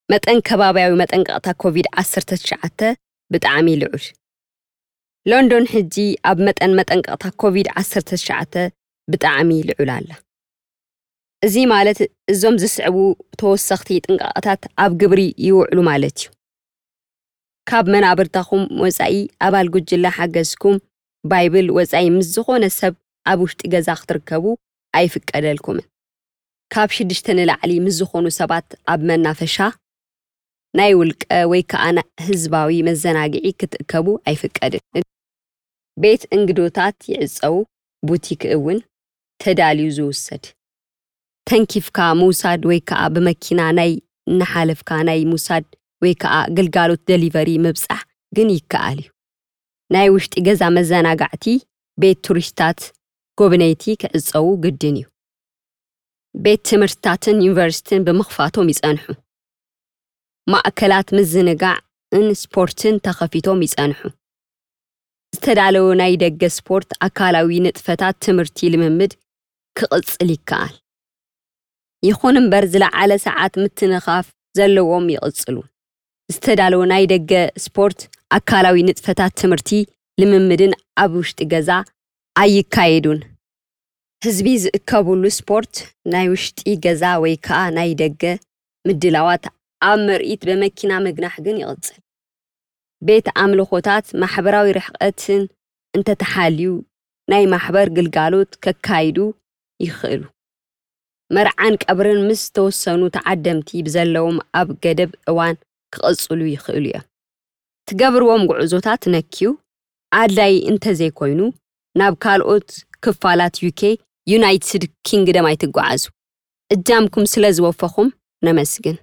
መጠን ከባብያዊ መጠንቀቕታ ኮቪድ ዓሰርተ ትሽዓተ ብጣዕሚ ልዑል። ሎንዶን ሕጂ ኣብ መጠን መጠንቀቕታ ኮቪድ ዓሰርተ ትሽዓተ ብጣዕሚ ልዑል ኣላ። እዚ ማለት እዞም ዝስዕቡ ተወሰኽቲ ጥንቃቐታት ኣብ ግብሪ ይውዕሉ ማለት እዩ። ካብ መናብርታኹም ወጻኢ ኣባል ጉጅለ ሓገዝኩም ባይብል ወጻኢ ምስ ዝኾነ ሰብ ኣብ ውሽጢ ገዛ ክትርከቡ ኣይፍቀደልኩምን። ካብ ሽዱሽተ ንላዕሊ ምስ ዝኾኑ ሰባት ኣብ መናፈሻ፣ ናይ ውልቀ ወይ ከኣ ህዝባዊ መዘናግዒ ክትእከቡ ኣይፍቀድን። ቤት እንግዶታት ይዕጸው፣ ቡቲክ እውን ተዳልዩ ዝውሰድ። ተንኪፍካ ምውሳድ ወይ ከኣ ብመኪና ናይ እናሓለፍካ ናይ ምውሳድ ወይ ከኣ ግልጋሎት ደሊቨሪ ምብጻሕ ግን ይከኣል እዩ። ናይ ውሽጢ ገዛ መዘናጋዕቲ፣ ቤት ቱሪስታት፣ ጎብነይቲ ክዕጸዉ ግድን እዩ። ቤት ትምህርትታትን ዩኒቨርሲቲን ብምኽፋቶም ይጸንሑ። ማእከላት ምዝንጋዕን ስፖርትን ተኸፊቶም ይጸንሑ። ዝተዳለወ ናይ ደገ ስፖርት ኣካላዊ ንጥፈታት ትምህርቲ ልምምድ ክቕጽል ይከኣል። ይኹን እምበር ዝለዓለ ሰዓት ምትንኻፍ ዘለዎም ይቕጽሉ። ዝተዳለወ ናይ ደገ ስፖርት ኣካላዊ ንጥፈታት ትምህርቲ ልምምድን ኣብ ውሽጢ ገዛ ኣይካየዱን። ህዝቢ ዝእከብሉ ስፖርት ናይ ውሽጢ ገዛ ወይ ከኣ ናይ ደገ ምድላዋት ኣብ ምርኢት ብመኪና ምግናሕ ግን ይቕጽል። ቤት ኣምልኾታት ማሕበራዊ ርሕቀትን እንተተሓልዩ ናይ ማሕበር ግልጋሎት ከካይዱ ይኽእሉ። መርዓን ቀብርን ምስ ተወሰኑ ተዓደምቲ ብዘለዎም ኣብ ገደብ እዋን ክቐጽሉ ይኽእሉ እዮም። ትገብርዎም ጉዕዞታት ነክዩ ኣድላይ እንተዘይኮይኑ ናብ ካልኦት ክፋላት ዩኬ፣ ዩናይትድ ኪንግደም ኣይትጓዓዙ። እጃምኩም ስለ ዝወፈኹም ነመስግን።